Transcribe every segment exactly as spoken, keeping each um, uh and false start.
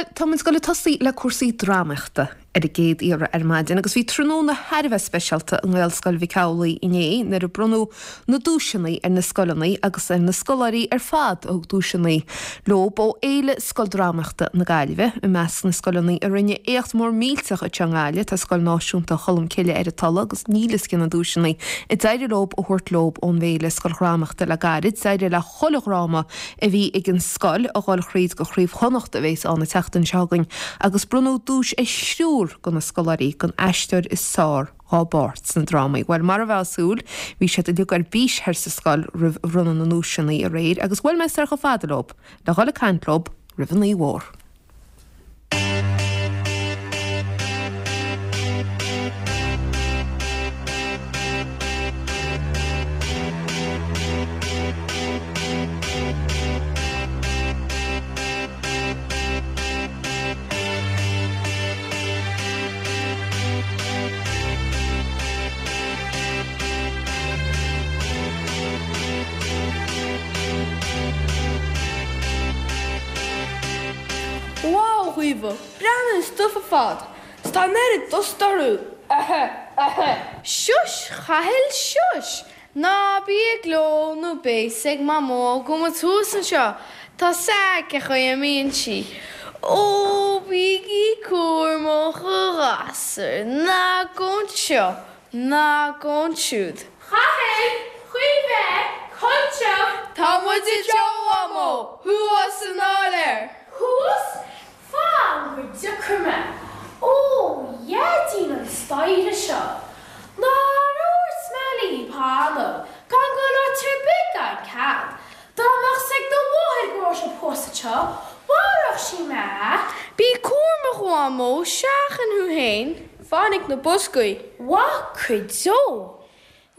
Bhuel, tá muid ag goil ag tosaí le cúrsaí drámaíochta ar an gcéad iarraidh ar maidin agus bhí tráthnóna thar a bheith speisialta i nGaelscoil Mhic Amhlaigh inné nuair a bronnadh na duaiseanna ar na scoileanna agus ar na scoláirí ar fad a thug duaiseanna leo ó Fhéile Scoildrámaíochta na Gaillimhe. I measc na scoileanna a rinne éacht mór millteach anseo i nGaillimh tá Scoil Náisiúnta Cholmcille ar an Tulaigh agus níl fhios cé na duaiseanna a d'éirigh leo a thabhairt leo ón bhFéile Scoildrámaíochta le gairid. D'éirigh le chuile dhráma a bhí ag an scoil a dhul thríd go Craobh Chonnacht a bheas ann an tseachtain seo chugainn agus bronnadh duais ar thriúr de na scoláirí don aisteoir is fearr dá bpáirt sna drámaí. Bhuel mar a bheifeá ag súil, bhí siad uilig ar bís thoir sa scoil roimh bhronnadh na nduaiseanna aréir agus bhuail mé soir chomh fada leo le dhul ag caint leo roimh an oíche mhór. Wow, Caoimhe, breathnaigh an stuif ar fad. 'S tá an oiread dusta orthu. Ahem, ahem. Shush, a Chathail, shush! Ná bí ag gleo nó beidh 's ag Mamó go bhfuil muid thuas anseo. Tá 's aici cén chaoi a mbíonn sí. Ó, bígí cúramach a ghasúir, ná gabh anseo, ná gabh ansiúd. Chathail, Caoimhe, anseo. Tá muid anseo, a Mhamó, thuas san áiléar. Thuas? Fan go dtiocfaidh mé. Ó, a Dhaidín an staighre seo. Nár dhúirt mé libh cheana gan dul áit ar bith gan cead. Dá mbeadh 's ag do mháthair go raibh sibh thuas anseo, mharódh sí mé. Bí cúramach, a Mhamó, seachain thú féin. Fan ag na boscaí. Mhaith go deo.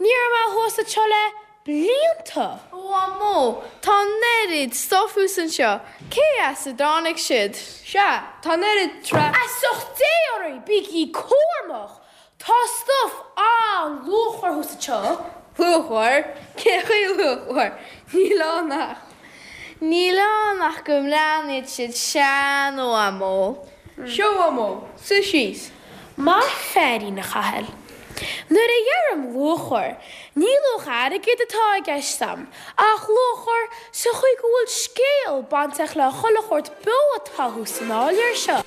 Ní raibh mé thuas anseo le blianta. A Mhamó, tá an oiread stuif thuas anseo, cé as a dtáinig siad? Sea, tá an oiread tra. Feasacht Dé oraibh, bígí cúramach! Tá stuif an-luachmhar thuas anseo. Luachmhar? Cén chaoi luachmhar? Níl ann ach. Níl ann ach go mbreathnaíonn siad sean, a Mhamó. Seo, a Mhamó, suigh síos. Maith féirín, a Chathail. Nuair a dheirim luachmhar, ní luach airgid atá i gceist a'm, ach luachmhar sa chaoi go bhfuil scéal bainteach le chuile shórt beo atá thuas san áiléar seo.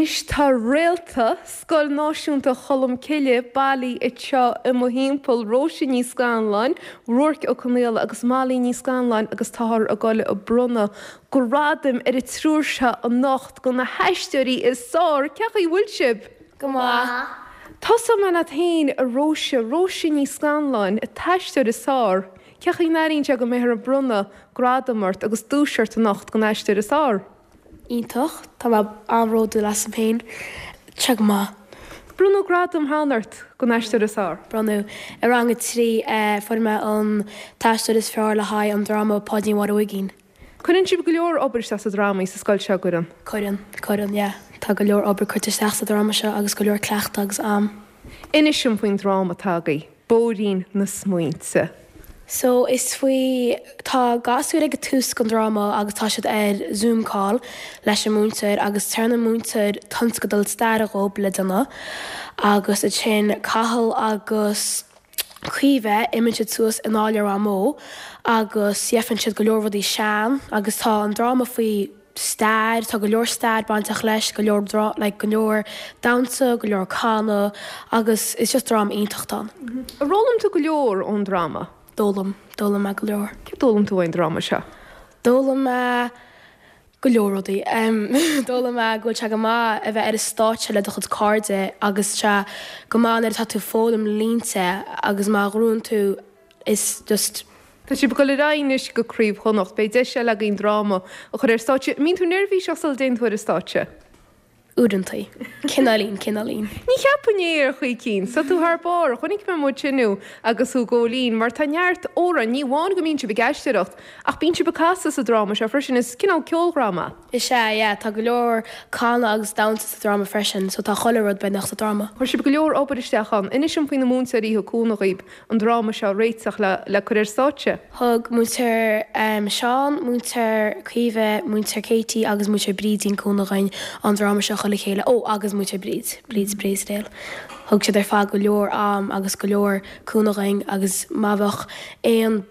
Anois tá réalta Scoil Náisiúnta Cholmcille bailithe anseo i mo thimpeall, Róise Ní Scanláin, Ruairc Ó Conaola agus Molly Ní Scanláin agus táthar ag goil ag bronnadh gradaim ar an triúr seo anocht do na haisteoirí is fearr. Cén chaoi a bhfuil sibh? Go maith. Tosóidh mé leat féin, a Róise, Róise Ní Scanláin, an t-aisteoir is fearr. Cén chaoi a n-airíonn sé go mbeifear ag bronnadh gradam ort agus duais ort anocht don aisteoir is fearr? Iontach, tá mé an-bhródúil asam féin. Tá sé go maith. Bronnadh gradam cheana ort don aisteoir is fearr. Bronnadh. I rang a trí fuair mé an t-aisteoir is fearr le haghaidh an dráma Páidín Mháire Uigín. Cuireann sibh go leor obair isteach sa drámaí sa scoil seo, gcuireann? Cuireann, cuireann, yeah. Tá go leor obair curtha isteach sa dráma seo agus go leor cleachtadh agus am. Inis dom faoin dráma atá agaibh, Bóithrín na Smaointe. So is faoi, tá gasúir ag tús den dráma agus tá siad ar Zoom call leis an múinteoir agus tugann an múinteoir tionscadal staire dhóibh le déanamh agus ansin Cathal agus Caoimhe imíonn siad suas in áiléar Mhamó agus gheibheann siad go leor rudaí sean agus tá an dráma faoi stair, tá go leor stair bainteach leis, go leor like, go leor damhsa, go leor canadh agus is just dráma iontach ann. Ar fhoghlaim tú go leor ón dráma? D'fhoghlaim, d'fhoghlaim mé go leor. Cé d'fhoghlaim tú ón dráma seo? D'fhoghlaim mé go leor rudaí. D'fhoghlaim mé go bhfuil sé go maith a bheith ar an stáitse le do chuid cairde agus sé go maith nuair atá tú ag foghlaim línte agus má ghnóthaíonn tú is just Tá sibh ag dul ar aghaidh anois go Craobh Chonnacht, beidh deis eile againn dráma a chur ar stáitse. An mbíonn tú neirbhíseach sula dtéann tú ar an stáitse? Uaireanta. Cineáilín, cineáilín. Ní cheapfainn é ar chaoi éicint. Tá tú thar barr. Chonaic mé muid inniu agus thú ag gabháil fhoinn, mar tá neart amhrán, ní amháin go mbíonn sibh ag aisteoireacht, ach bíonn sibh ag casadh sa dráma seo freisin, is cineál ceoldráma. Is ea, yeah, tá go leor canadh agus damhsa sa dráma freisin, so tá chuile rud beagnach sa dráma. Chuir sibh go leor obair isteach ann. Inis dom faoi na múinteoirí a thug cúnamh dhaoibh an dráma seo a réiteach le le cur ar stáitse. Thug múinteoir Seán, múinteoir Caoimhe, múinteoir Katie agus múinteoir Brídín cúnamh dhúinn an dráma seo a chur le chéile. Ó, agus múinteoir Bríd, Bríd Bréasdale. Thug siad ar fad go leor am agus go leor cúnamh dhúinn agus má bheadh aon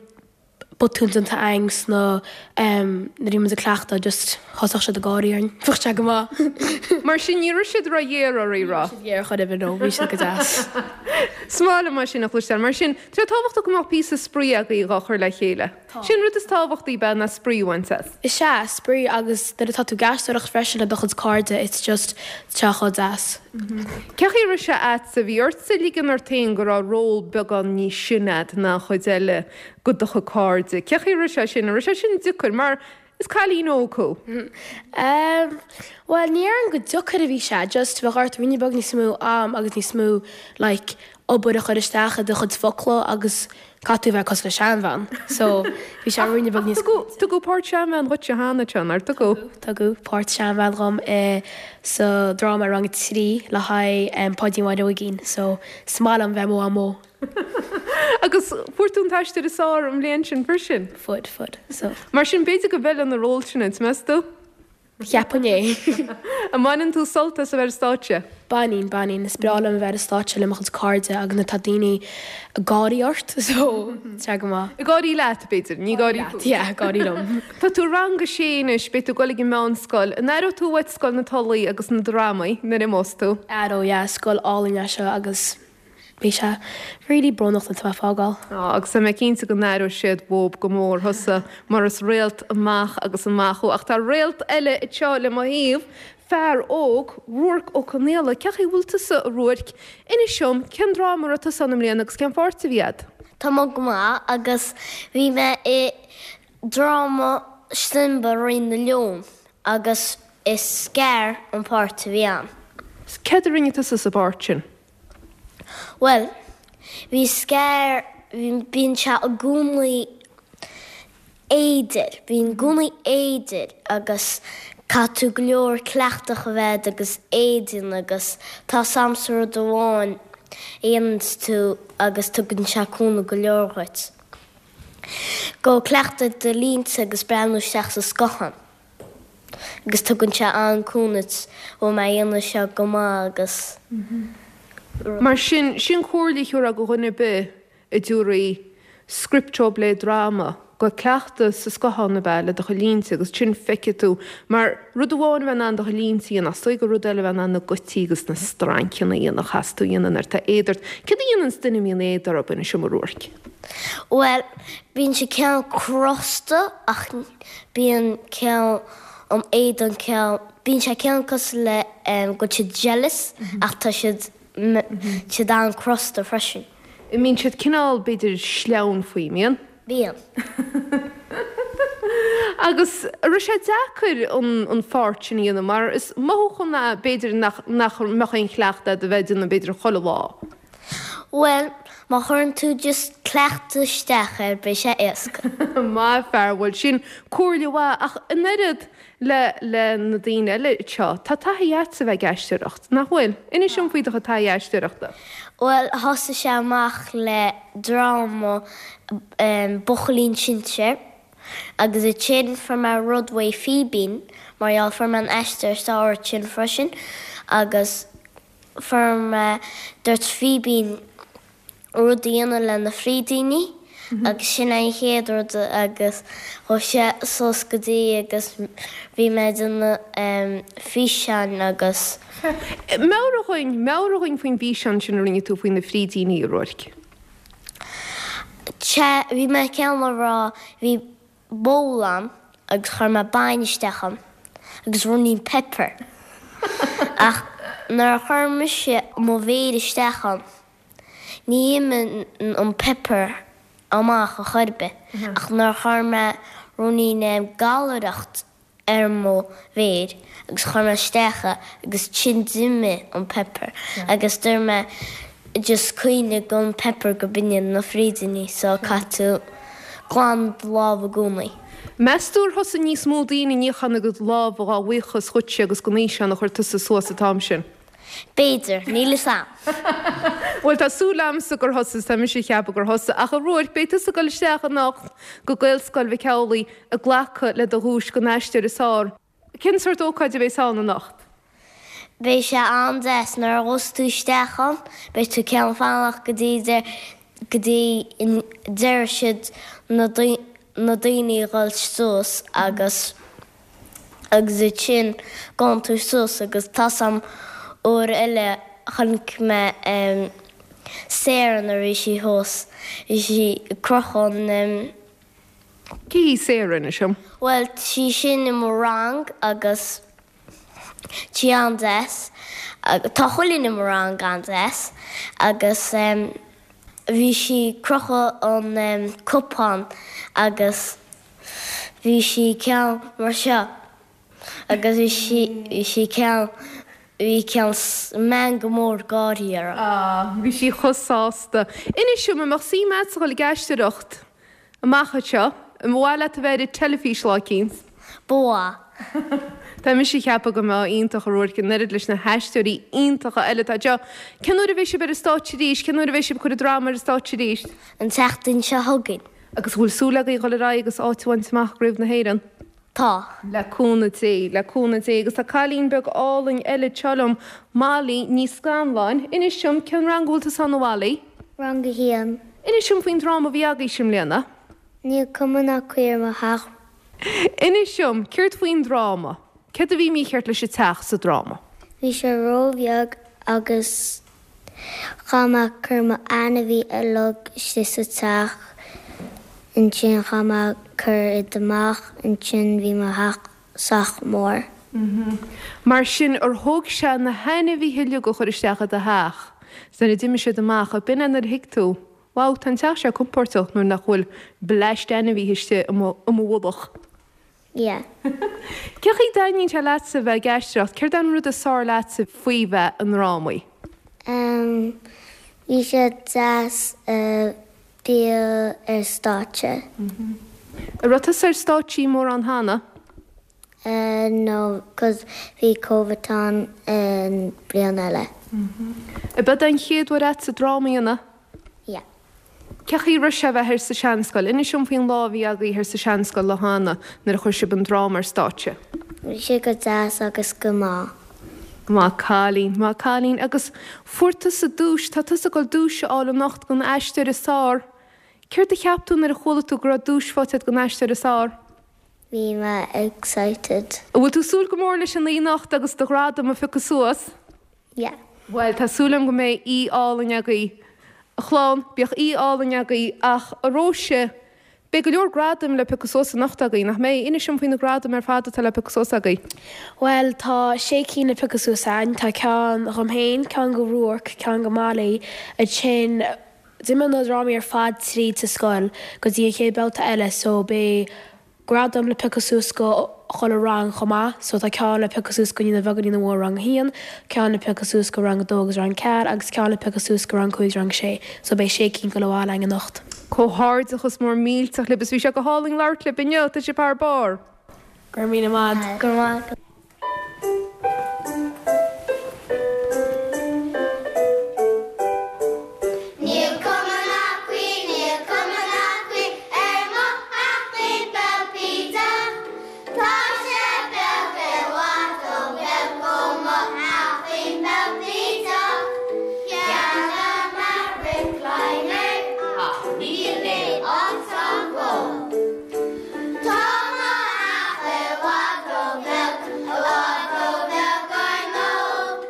botún déanta againn sna nuair a bhí muid ag cleachtadh just thosaigh siad ag gáirí orainn. Bheadh sé go maith. Mar sin ní raibh siad ró-ghéar oraibh, raibh? Ní raibh siad géar chor ar bith, no, bhí siad go deas. Is maith liom mar sin a chloisteáil. Mar sin, tá sé tábhachtach go mbeadh píosa spraoi agaibh dhá chur le chéile. Sin rud is tábhachtaí ab ea ná spraoi a bhaint as. Is ea, spraoi agus nuair atá tú ag aisteoireacht freisin le do chuid cairde it's just tá sé chomh deas. Cén chaoi a raibh sé a'dsa, bhí ortsa ligean ort féin go raibh ról beagán níos sine a'd ná an chuid eile go do chuid cairde. Cén chaoi a raibh sé sin, an raibh sé sin deacair mar is cailín óg thú? Um, well ní déarfainn go deacair a bhí sé, just bheadh ort ruainne beag níos mó am agus níos mó like obair a chur isteach i do chuid focla agus caithfidh tú bheith cosúil le seanbhean. So bhí sé ruainne beag níos Tugadh tugadh páirt seanbhean dhuit cheana Seán, ar tugadh? Tugadh páirt seanbhean dhom i sa dráma rang a trí le haghaidh um, Páidín Mháire Uigín, so is maith liom bheith mo mhamó. Agus fuair tú an t-aisteoir is fearr an bhliain sin freisin. Fuair, fuair. So Mar sin b'fhéidir go bhfeileann an ról sin duit, meas tú? Cheapfainn é. An mbaineann tú sult as a bheith ar stáitse? Baineann, baineann, is breá liom a bheith ar stáitse le mo chuid cairde agus nuair atá daoine ag gáirí ort, so tá go maith. Ag gáirí leat, b'fhéidir, ní gáirí fút. Yeah, gáirí liom. Tá tú rang a sé anois, beidh tú ag dul ag an meánscoil. An aireoidh tú uait Scoil na Tulaí agus na drámaí nuair a imeos tú? Aireoidh, yeah, scoil álainn é seo agus beidh sé really brónach nuair atá mé ag fágáil. Á, agus tá mé cinnte go n-aireoidh siad uathub go mór thusa mar is réalt amach agus amach thú. Ach tá réalt eile anseo le mo thaobh, fear óg, Ruairc Ó Conaola. Cén chaoi a bhfuil tusa, a Ruairc? Inis dom, cén dráma a raibh tusa ann i mbliana agus cén pháirt a bhí a'd? Tá mé go maith agus bhí mé i dráma Simba Rí na Leon agus is Scar an páirt a bhí ann. Céard a rinne tusa sa bpáirt sin? Well, bhí Scar, bíonn sé i gcónaí éidir, bíonn i gcónaí éidir agus caithfidh tú go leor cleachtadh a bheith agus éadan agus tá samsa rud amháin a dhéanann tú agus tugann sé cúnamh go leor dhuit. Go cleachtadh do línte agus breathnú isteach sa scáthán. Agus tugann sé an-cúnamh duit ó mé dhéanamh seo go maith agus Mar sin, sin comhairle a thabharfá do dhuine ar bith a dtabharfaí script dóibh le dráma, Ag cleachtadh sa scáthán ab ea le do chuid línte agus ansin feicfidh tú mar rud amháin a bheith in ann do chuid línte a dhéanamh is dóigh gur rud eile a bheith in ann na gutaí agus na strainceanna a dhéanamh a chaithfeas tú a dhéanamh nuair atá éad ort. Céard a dhéananns duine a mbíonn éad orthu, inis dom a Ruairc? Bhuel, bíonn sé cineál crosta ach bíonn cineál an éadan cineál, bíonn sé cineál cosúil le go bhfuil siad jealous ach tá siad siad an-crosta freisin. Mbíonn siad cineál, b'fhéidir, sleamhain faoi, mbíonn? Bíonn. Agus an raibh sé deacair an an pháirt sin a dhéanamh mar is mothúchán é b'fhéidir nach nach mbeadh aon chleachtadh agat a bheith ag déanamh b'fhéidir chuile lá. Bhuel, má chuireann tú just cleachtadh isteach air beidh sé éasca. Maith fear, bhuel sin comhairle mhaith ach an oiread le le na daoine eile seo, tá taithí agatsa a bheith ag aisteoireacht, nach bhfuil? Inis dom faoi do chuid taithí aisteoireachta. Bhuel, thosaigh sé amach le dráma Buachaillín Sinsear agus ansin fuair mé rud uaidh Fíbín mar gheall fuair mé an aistear samhraidh sin freisin agus fuair mé dúirt Fíbín rud a dhéanamh le na frídíní agus sin é an chéad rud agus chuaigh sé suas go dtí agus bhí mé ag déanamh físeáin agus. Meabhraigh dhúinn, meabhraigh dhúinn faoin bhfíseán sin a rinne tú faoi na frídíní, a Ruairc. Sea, bhí mé cineál ag rá, bhí bowl ann agus chuir mé bainne isteach ann agus ruainnín pepper ach nuair a chuir mise mo mhéar isteach ann, Ní imíonn an pepper amach ar chor ar bith, ach nuair a chuir mé ruainnín gallaireacht ar mo mhéir agus chuir mé isteach é agus ansin d'imigh an pepper agus dúirt mé just cuimhnigh an pepper go b'in iad na frídíní so caithfidh tú glan do lámh i gcónaí. Meas tú ar thosaigh níos mó daoine ag níochán a gcuid lámha dhá bhuíochas dhuitse agus don fhíseán a chuir tusa suas an t-am sin? B'fhéidir, níl fhios a'm. Bhuel, tá súil a'msa gur thosaigh, tá mise ag ceapadh gur thosaigh. Ach a Ruairc, beidh tusa ag dul isteach anocht go Gaelscoil Mhic Amhlaigh ag glacadh le do dhuais don aisteoir is fearr. Cén sórt ócáid a bheas ann anocht? Beidh sé an-deas nuair a ghabhfas tú isteach ann, beidh tú cineál fanacht go dtí go dtí deireadh siad na na daoine a dhul suas agus agus ansin gabhann tú suas agus tá 's a'm uair eile chonaic mé Sarah nuair a bhí sí thuas, bhí sí ag crochadh an. Cé hí Sarah inis dom? Bhuel tá sí sin i mo rang agus tá sí an-deas, tá chuile dhuine i mo rang an-deas agus bhí sí ag crochadh an cupán agus bhí sí cineál mar seo agus bhí sí bhí sí cineál bhí cineál meangadh mór gáirí uirthi. Ah, bhí sí chomh sásta. Inis dom, an mbeadh suim agatsa dhul ag aisteoireacht amach anseo? An mhaith leat a bheith ar an teilifís lá eicínt? Ba mhaith. Tá mise ag ceapadh go mbeadh iontach a Ruairc, an oiread leis na haisteoirí iontacha eile atá anseo. Cén uair a bheidh sibh ar an stáitse arís? Cén uair a bheidh sibh ag cur an dráma ar an stáitse arís? An tseachtain seo chugainn. Agus an bhfuil súil agaibh dhul ar aghaidh agus áit a bhaint amach i gCraobh na hÉireann? Tá. Le cúnamh Dé, le cúnamh Dé. Agus tá cailín beag álainn eile anseo liom, Molly Ní Scanláin. Inis dom, cén rang a bhfuil tusa ann a Mholly? Rang a haon. Inis dom faoin dráma a bhí agaibhse i mbliana. Níl cuma ná caoi ar mo theach. Inis dom, céard faoin dráma? Céard a bhí mícheart leis an teach sa dráma? Bhí sé róbheag agus chaith mé cur mo ainmhí uilig istigh sa teach, ansin chaith mé cur iad amach, ansin bhí mo theach sách mór. Mar sin, ar thóg sé na hainmhithe uilig a chur isteach i do theach 's nuair a d'imigh siad amach, ab in é nuair a thuig tú, wow, tá an teach seo compóirteach nuair nach bhfuil bleaist ainmhithe istigh i mo mhullach? Yeah. Cén chaoi a dtaitníonn sé leatsa bheith ag aisteoireacht? Céard é an rud is fearr leatsa faoi bheith i ndrámaí? Em, bhí sé deas a bheith ar stáitse. An raibh tusa ar stáitsí mórán cheana? Eh, no, 'cause bhí Covid ann an bliain eile. Ab é an chéad uair agatsa dráma a dhéanamh? Yeah. Cén chaoi a raibh sé a bheith thoir sa Seanscoil? Inis dom faoin lá a bhí agaibh thoir sa Seanscoil lá cheana nuair a chuir sibh an dráma ar stáitse. Bhí sé go deas agus go maith. Maith cailín, maith cailín. Agus fuair tusa duais, tá tusa ag dul duais a fháil anocht don aisteoir is fearr. Céard a cheap tú nuair a chuala tú go raibh duais faighte agat don aisteoir is fearr? Bhí mé excited. An bhfuil tú ag súil go mór leis an oíche anocht agus do ghradam a phiocadh suas? Yeah. Bhuel, tá súil agam go mbeidh oíche álainn agaibh. A chlann, bíodh oíche álainn agaibh ach a Róise, beidh go leor gradaim le piocadh suas anocht agaibh, nach mbeidh? Inis dom faoi na gradaim ar fad atá le piocadh suas agaibh. Bhuel, tá sé cinn le piocadh suas againn. Tá ceann dhom féin, ceann go Ruarc, ceann go Molly, ansin d'imigh na drámaí ar fad tríd sa scoil go dtí an chéad babhta eile so beidh gradam le piocadh suas go chuile rang chomh maith so tá ceann le piocadh suas go Naíonáin Bheaga Naíonáin Mhór rang a haon, ceann le piocadh suas go rang a dó agus rang ceathair agus ceann le piocadh suas go rang cúig is rang sé so beidh sé cinn ag dul abhaile againn anocht. Comhghairdeachas mór millteach libh is bhí sé go hálainn labhairt libh inniu, tá sibh thar barr! Go raibh míle maith. Go raibh maith agat. Níl cuma ná caoi, níl cuma ná caoi ar mo theachín beag bídeach. Tá sé beag i bhfad ró bheag ó mo theachín beag bídeach. Cheannaigh mé recliner ach níl aon áit ann dhó. Tá mo theach i bhfad ró bheag, i bhfad ró bheag ar ndóigh.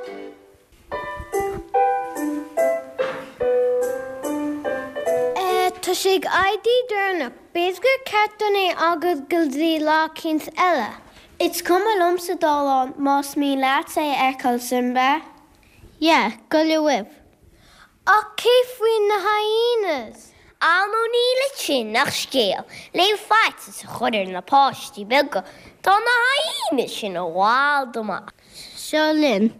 Tá sé ag éirí deireanach. B'fhéidir gur ceart dúinn é a fhágáil go dtí lá eicínt eile. Is cuma liomsa dul ann más mian leat é a fheiceáil, Simba. Yeah, gabh uaibh. Ach cé faoi na hyenas? Á nó níl ansin ach scéal le faitíos a chur ar na páistí beaga. Tá na hyenas sin i bhfad amach. Seo linn.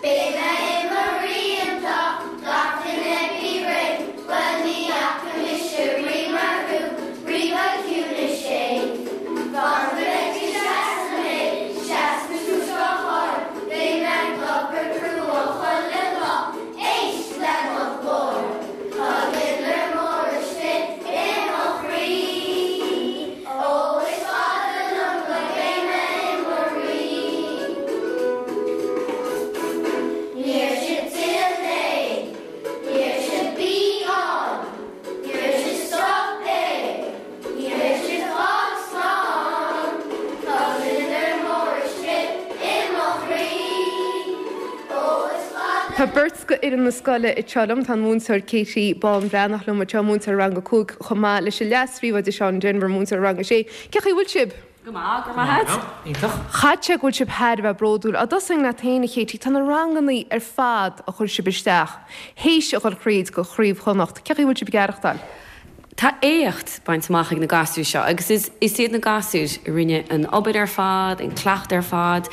Beidh mé i mo rí anseo, gach duine bí réidh, bhuel ní fhaca mise rí mar thú, rí beag ciúin is séimh. Fan go bhfeicfidh seasa mé, seasfaidh tú seo chóir, beidh mé ag obair crua chuile lá, éist le mo ghlór. Tá gliondar mór istigh i mo chroí, ó is fada liom go mbeidh mé i mo rí. Ní raibh sé till é, ní raibh sé bí ann, ní raibh sé stop é, ní raibh sé fág slán. Tá gliondar mór istigh i mo chroí, ó is fada. Tá beirt de fhoireann na scoile anseo liom, tá an múinteoir Katie Bán Bhreathnach liom anseo, múinteoir rang a cúig chomh maith leis an leas-phríomhoide Seán Denver, múinteoir rang a sé. Cén chaoi a bhfuil sibh? Go maith, go maith. Iontach. Caithfidh sé go bhfuil sibh thar a bheith bródúil. Á dtosóinn leat féin a Katie, tá na ranganna ar fad a chuir sibh isteach, théis a dhul thríd go Craobh Chonnacht. Cén chaoi a bhfuil sibh ag aireachtáil? Tá éacht bainte amach ag na gasúir seo agus is is iad na gasúir a rinne an obair ar fad, an cleachtadh ar fad.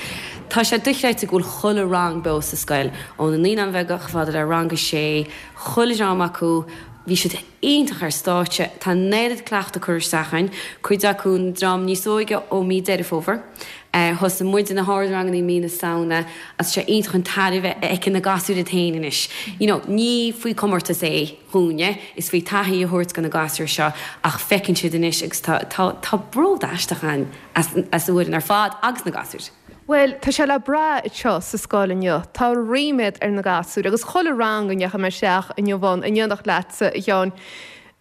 Tá sé dochreidte go bhfuil chuile rang beo sa scoil ó na naíonáin bheaga chomh fada le rang a sé, chuile dhream acu, bhí siad iontach ar stáitse, tá an oiread cleachtadh curtha isteach againn, cuid acu an dream níos óige ó mí Deireadh Fómhair. Thosaigh muid na hardranganna mí na Samhna agus sé iontach an tairbhe a fheiceann na gasúir iad féin anois. You know, ní faoi comórtas é dúinne, is faoi taithí a thabhairt do na gasúir seo ach feiceann siad anois agus tá tá tá bród aisteach ann as as an bhfoireann ar fad agus na gasúir. Well, tá sé le brath anseo sa scoil inniu. Tá ríméad ar na gasúir agus chuile rang a ndeachaigh mé isteach inniu ann in éineacht leatsa a Sheáin.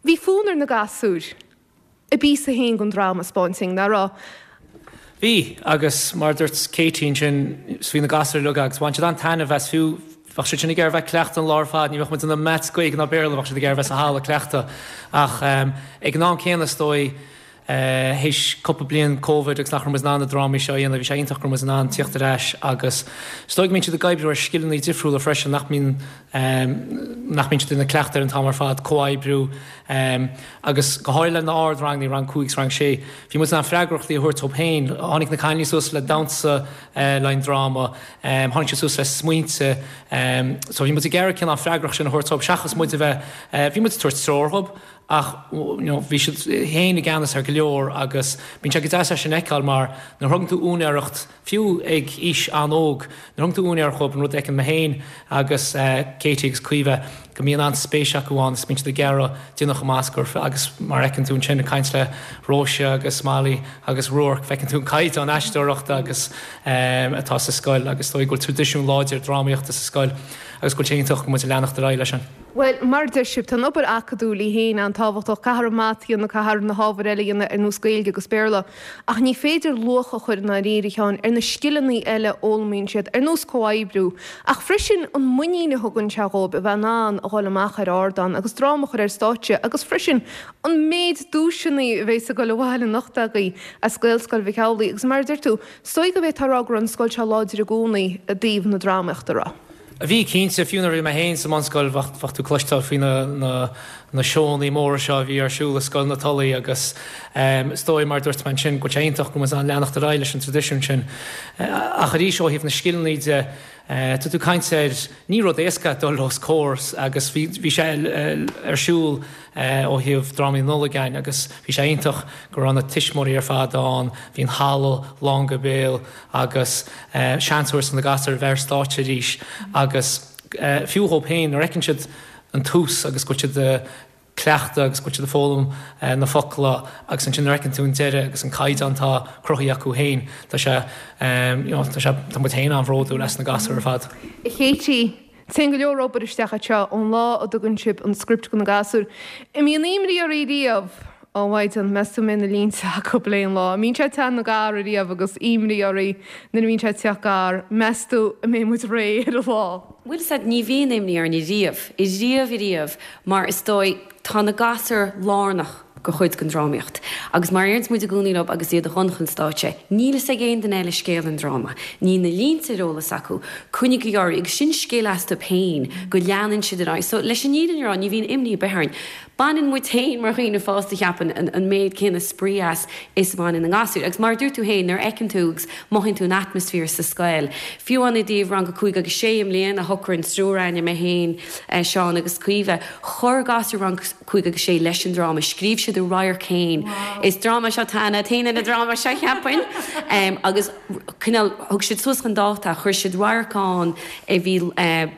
Bhí fonn ar na gasúir a bpíosa féin den dráma a 'spáint dúinn, nach raibh? Bhí, agus mar a dúirt Katie ansin, bhí na gasúir uilig agus bhain siad an-taitneamh as fiú bheadh siad sin ag iarraidh bheith ag cleachtadh an lá ar fad, ní bheadh muid ina maths Gaeilge ná Béarla, bheadh siad ag iarraidh bheith sa halla ag cleachtadh. Ach ag an am céanna is dóigh, théis cúpla bliain Covid agus nach raibh muid in ann na drámaí seo a dhéanamh, bhí sé iontach go raibh muid in ann tíocht ar ais agus is dóigh go mbíonn siad ag oibriú ar scileanna difriúla freisin nach mbíonn nach mbíonn siad ina cleachtadh ar an t-am ar fad, comhoibriú agus go háirithe le na ardranganna, rang cúig is rang sé, bhí muid in ann freagrachtaí a thabhairt dóibh féin. Tháinig na cailíní suas le damhsa le an dráma, tháinig siad suas le smaointe, so bhí muid ag iarraidh cineál an freagracht sin a thabhairt dóibh seachas muid a bheith, bhí muid ag tabhairt treoir dóibh, ach you know, bhí siad féin i gceannas ar go leor agus bíonn sé go deas é sin a fheiceáil mar nuair a thugann tú úinéireacht fiú ag aois an-óg, nuair a thugann tú úinéireacht dhóibh an rud a fheiceann mé féin agus Katie agus Caoimhe go mbíonn an-spéis acu ann is bíonn siad ag iarraidh déanamh chomh maith is gur agus mar a fheiceann tú ansin ag caint le Róise agus Molly agus Ruairc feiceann tú an caighdeán aisteoireachta agus atá sa scoil agus is dóigh go bhfuil traidisiún láidir drámaíochta sa scoil agus go bhfuil sé iontach go bhfuil muid ag leanacht ar aghaidh leis sin. Bhuel, mar a deir sibh, tá an obair acadúil í féin an-tábhachtach, caithfear an mata a dhéanamh, caithfear na hábhair eile a dhéanamh ar nós Gaeilge agus Béarla, ach ní féidir luach a chur i ndáiríre, a Sheáin, ar na scileanna eile a fhoghlaimíonn siad, ar nós comhoibriú, ach freisin an muinín a thugann sé dhóibh a bheith in ann a dhul amach ar ardán agus dráma a chur ar stáitse agus freisin an méid duaiseanna a bheas ag dul abhaile anocht agaibh as Gaelscoil Mhic Amhlaigh agus mar a deir tú, is dóigh go bhféadfá a rá go raibh an scoil seo láidir i gcónaí i dtaobh na drámaíochta, raibh? Bhí, cinnte. Fiú nuair a bhí mé féin sa mbunscoil bheadh tú ag cloisteáil faoi na seónna móra seo a bhí ar siúl i Scoil na Tulaí agus is dóigh, mar a dúirt mé ansin, go bhfuil sé iontach go bhfuil muid in ann leanacht ar aghaidh leis an traidisiún sin. Ach arís, ó thaobh na scileanna de, tá tú ag caint ar, ní rud éasca dul os comhair agus bhí sé ar siúl ó thaobh drámaí Nollag againn agus bhí sé iontach go raibh na tuismitheoirí ar fad ann, bhí an halla lán go béal agus seans a thabhairt do na gasúir a bheith ar stáitse arís agus fiú dhóibh féin nuair a fheiceann siad an tús agus go bhfuil siad ag cleachtadh agus go bhfuil siad ag foghlaim na focla agus ansin nuair a fheiceann tú an deireadh agus an caighdeán atá cruthaithe acu féin tá sé you know tá sé tá muid féin an-bhródúil as na gasúir ar fad. A Katie, Téann go leor obair isteach anseo ón lá a dtugann sibh an script do na gasúir. An mbíonn imní oraibh riamh? Ó a Mhaighdean, meas tú an mbeidh na línte acu le an lá? An mbíonn sé teann gar ariamh agus imní oraibh nuair a bhíonn sé ag teacht gar? Meas tú an mbeidh muid réidh ar an lá? Bhuel, sea, ní bhíonn imní orainn riamh, riamh riamh, mar is dóigh, tá na gasúir lárnach go chuid den drámaíocht. Agus mar a deireanns muid i gcónaí leo agus iad ag dul chun stáitse, níl fhios ag aon duine eile scéal an dráma. Níl na línte ar eolas acu. Coinnígí orthu, agus sin scil astu féin, go leanann siad ar aghaidh. So, leis an fhírinne a rá, ní bhíonn imní ar bith orainn. Baineann muid féin, mar dhaoine fásta, cheapfainn, an, an méid céanna spraoi as is a bhaineann na gasúir. Agus mar a dúirt tú féin, nuair a fheiceann tú agus mothaíonn tú an atmaisféar sa scoil, fiú amháin i dtaobh rang a cúig agus sé i mbliana, shocraigh an triúr againne, mé féin, Seán agus Caoimhe, chuir gasúir rang cúig agus sé leis an dráma. Scríobh siad a radharc féin. Is dráma seo tá Anna Athena na dráma seo cheapfainn. Agus cineál thug siad suas chun dáta, chuir siad radharc ann a bhí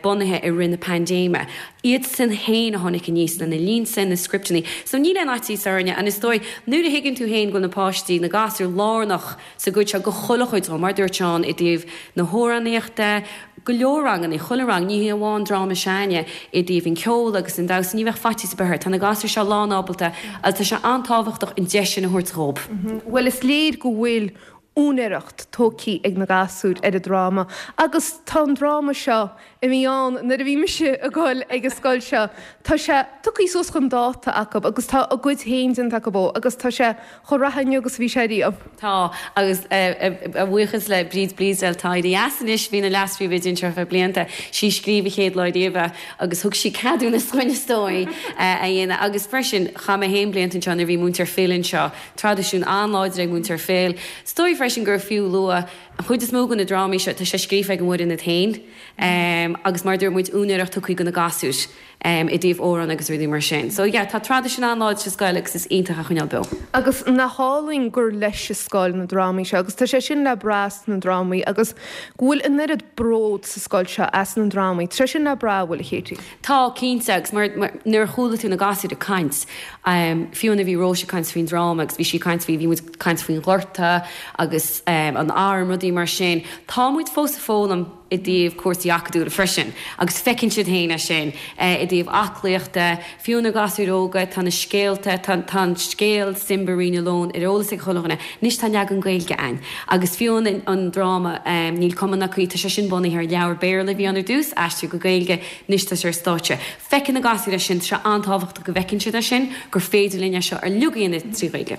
bunaithe i rith na paindéime. Iadsan féin a tháinig aníos lena línte, na scripteanna. So níl aon fhaitíos orainne and is dóigh nuair a thuigeann tú féin go bhfuil na páistí, na gasúir lárnach sa gcuid seo go chuile chuid dhó, mar dúirt Seán i dtaobh na hamhránaíochta, go leor ranganna, chuile rang, ní hé amháin dráma s'againne, i dtaobh an ceol agus an damhsa, ní bheadh faitíos ar bith air. Tá na gasúir seo lán-ábalta agus tá sé an-tábhachtach an deis sin a thabhairt dhób. Bhuel, is léir go bhfuil úinéireacht tógtha ag na gasúir ar an dráma agus tá an dráma seo, a bhí ann nuair a bhí mise ag dul ag an scoil seo, tá sé tugtha suas chun dáta acu agus tá a gcuid féin déanta acu dhó agus tá sé chomh reatha inniu agus a bhí sé riamh. Tá, agus a bhuíochas le Bríd Bleasdale, atá éirithe as anois, bhí ina leas-phríomhoide anseo ar feadh blianta, sí a scríobh an chéad lá riamh é agus thug sí ceadúnas dhúinn is dóigh é a dhéanamh. Agus freisin, chaith mé féin blianta anseo nuair a bhí Múinteoir Phil anseo, traidisiún an-láidir ag Múinteoir Phil. Is dóigh freisin gur fiú lua, an chuid is mó de na drámaí seo, tá sé scríofa ag an bhfoireann iad féin agus mar a dúirt muid, úinéireacht tugtha do na gasúir. i dtaobh amhrán agus rudaí mar sin. So yeah, tá traidisiún an-láidir sa scoil agus is iontach a choinneáil beo. Agus nach álainn gur leis an scoil na drámaí seo agus tá sé sin le brath sna drámaí agus go bhfuil an oiread bród sa scoil seo as na drámaí. Tá sé sin le brath, an bhfuil, a Katie? Tá, cinnte, agus mar, mar, nuair a chuala tú na gasúir ag caint, fiú nuair a bhí Róise ag caint faoin dráma agus bhí sí ag caint faoi, bhí muid ag caint faoin ghorta agus an arm, rudaí mar sin, tá muid fós ag foghlaim i dtaobh cúrsaí acadúla freisin agus feiceann siad féin é sin i dtaobh aclaíochta, fiú na gasúir óga, tá na scéalta, tá tá an scéal Simba Rí na Leon ar eolas ag chuile dhuine, anois tá leagan Gaeilge ann agus fiú an an dráma Níl Cuma ná Caoi, tá sé sin bunaithe ar leabhar Béarla a bhí ann ar dtús, aistrithe go Gaeilge, anois tá sé ar stáitse. Feiceann na gasúir é sin, tá sé an-tábhachtach go bhfeiceann siad é sin, gur féidir linn é seo uilig a dhéanamh trí Ghaeilge.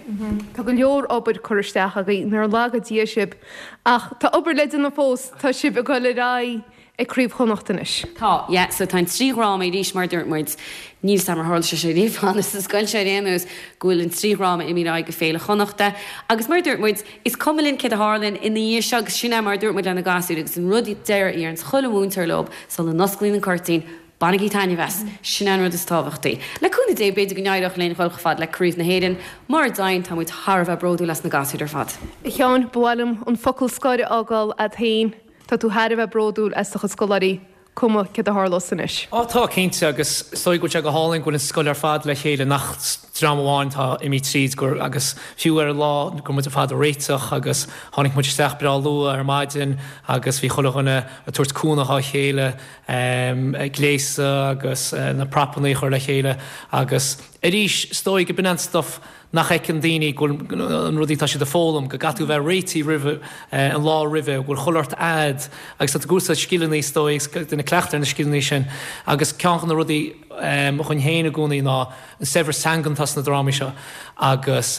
Tá go leor obair curtha isteach agaibh, nár laga Dia sibh. Ach tá obair le déanamh fós, tá sibh ag dul ar aghaidh ag Craobh Chonnacht anois. Tá, yeah, so tá an trí dhráma arís mar a dúirt muid, níl 's a'm ar tharla sé seo riamh cheana sa scoil seo ar aon nós, go bhfuil an trí dhráma imithe ar aghaidh go Féile Chonnachta. Agus mar a dúirt muid, is cuma linn céard a tharlaíonn ina dhiaidh seo agus sin é mar a dúirt muid le na gasúir agus an rud deiridh a deireanns chuile mhúinteoir leo sula n-osclaíonn an cuirtín, Bainigí taitneamh as, sin an rud is tábhachtaí. Le cúnamh Dé b'fhéidir go n-éireodh linn dhul chomh fada le Craobh na hÉireann, mura dtéann tá muid thar a bheith bródúil as na gasúir ar fad. A Sheáin, ba mhaith liom an focal scoir a fhágáil agat féin. Tá tú thar a bheith bródúil as do chuid scoláirí, cuma céard a tharlós anois. Á tá, cinnte, agus is dóigh go bhfuil sé go hálainn go bhfuil an scoil ar fad le chéile, nach dream amháin atá imithe tríd gur agus fiú ar an lá go raibh muid ar fad ag réiteach agus tháinig muid isteach breá luath ar maidin agus bhí chuile dhuine ag tabhairt cúnamh dhá chéile ag gléasadh agus na propanna a chur le chéile agus arís is dóigh go b'in an stuff nach fheiceann daoine go bhfuil an rudaí atá siad ag foghlaim, go gcaithfidh tú bheith réitithe roimhe, an lá roimhe, go bhfuil chuile shórt a'd agus tá tú ag úsáid scileanna is dóigh agus ag déanamh cleachtadh ar na scileanna sin agus ceann de na rudaí dhúinn féin i gcónaí ná an saibhreas teangan atá sna drámaí seo agus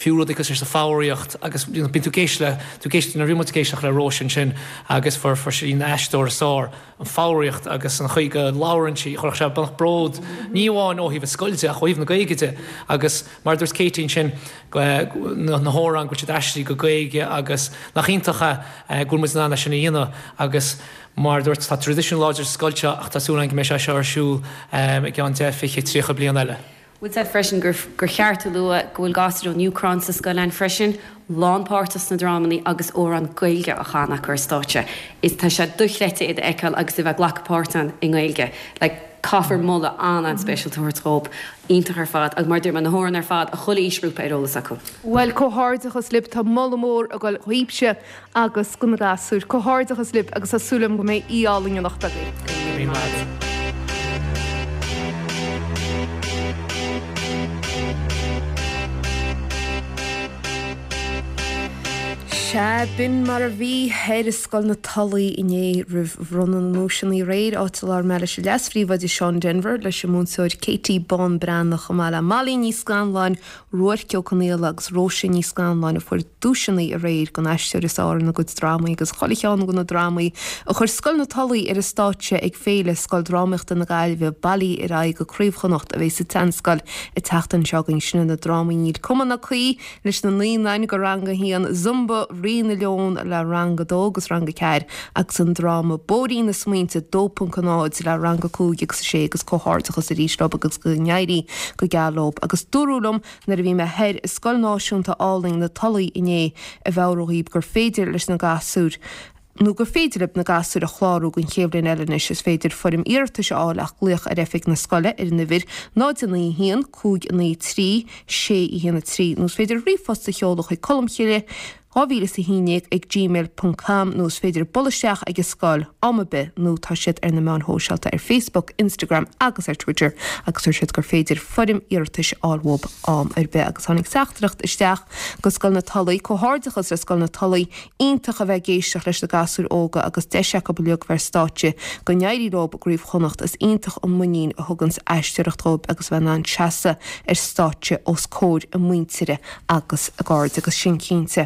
fiú rudaí cosúil leis an foghraíocht agus bíonn tú ag éisteacht le, tú ag éisteacht, nuair a bhí muid ag éisteacht le Róise ansin agus fuair, fuair sí an aisteoir is fearr, an foghraíocht agus an chaoi go labhrann sí, chuirfeadh sé beannacht bród, ní amháin ó thaobh an scoil de ach ó thaobh na Gaeilge de agus mar a dúirt Katie ansin, na hamhráin go bhfuil siad aistrithe go Gaeilge agus nach iontach é go bhfuil muid in ann é sin a dhéanamh agus mar a dúirt, tá traidisiún láidir sa scoil seo ach tá súil againn go mbeidh sé seo ar siúl i gceann deich, fiche, tríocha bliain eile. Bhfuil a fhios a'd freisin gur gur cheart a lua go bhfuil gasúir ón Úcráin sa scoil ann freisin, lánpháirteach sna drámannaí agus amhrán Gaeilge á chanadh acu ar stáitse. Is tá sé dochreidte iad a fheiceáil agus a bheith ag glacadh páirt ann i nGaeilge. Like, caithfear moladh an-an-speisialta a thabhairt dhóibh. Iontach ar fad. Agus mar a dúirt mé, na hamhráin ar fad, chuile aoisghrúpa ar eolas acu. Bhuel, comhghairdeachas libh, tá moladh mór ag dul dhaoibhse agus do na gasúir. Comhghairdeachas libh agus tá súil agam go mbeidh oíche álainn anocht agaibh. Go raibh míle maith agat. Sea, b'in mar a bhí thoir i Scoil na Tulaí inné roimh bhronnadh na nduaiseanna aréir, áit a labhair mé leis an Leas-Phríomhoide Seán Denvir, leis an múinteoir Katie Bán Breathnach chomh maith le Molly Ní Scanláin, Ruairc Ó Conaola agus Róise Ní Scanláin a fuair duaiseanna aréir don aisteoir is fearr ina gcuid drámaí agus chuile cheann de na drámaí a chuir Scoil na Tulaí ar an stáitse ag Féile Scoildrámaíochta na Gaillimhe bailithe ar aghaidh go Craobh Chonnacht a bheidh sa tSeanscoil an tseachtain seo chugainn. Sin na drámaí Níl Cuma ná Caoi leis na naíonáin go Rang a haon, Zumba, Rí na Leon le Rang a dó agus Rang a ceathair agus an dráma Bóithrín na Smaointe dó ponc a náid le Rang a cúig agus a sé agus comhghairdeachas arís leo agus go n-éirí go geal leo. Agus dúradh liom nuair a bhí mé thoir i Scoil Náisiúnta álainn na Tulaí inné a mheabhrú dhaoibh gur féidir leis na gasúir nó gur féidir libh na gasúir a chlárú don chéad bhliain eile anois. Is féidir foirm iarratais a fháil ach glaoch ar oifig na scoile ar an uimhir náid a naoi a haon, cúig a naoi trí, sé a haon a trí nó is féidir ríomhphost a sheoladh chuig colmcille dhá mhíle is a haon déag ag gmail ponc com nó is féidir bualadh isteach ag an scoil am ar bith nó tá siad ar na meáin shóisialta ar Facebook, Instagram agus ar Twitter agus dúirt siad gur féidir foirm iarratais a fháil uathu am ar bith agus tháinig teachtaireacht isteach go Scoil na Tulaí, Comhghairdeachas le Scoil na Tulaí, iontach a bheith ag éisteacht leis na gasúir óga agus deis acu uilig bheith ar stáitse, go n-éirí leo i gCraobh Chonnacht, is iontach an muinín a thuganns aisteoireacht dhóibh agus a bheith in ann seasamh ar stáitse os comhair a muintire agus a gcairde agus sin cinnte.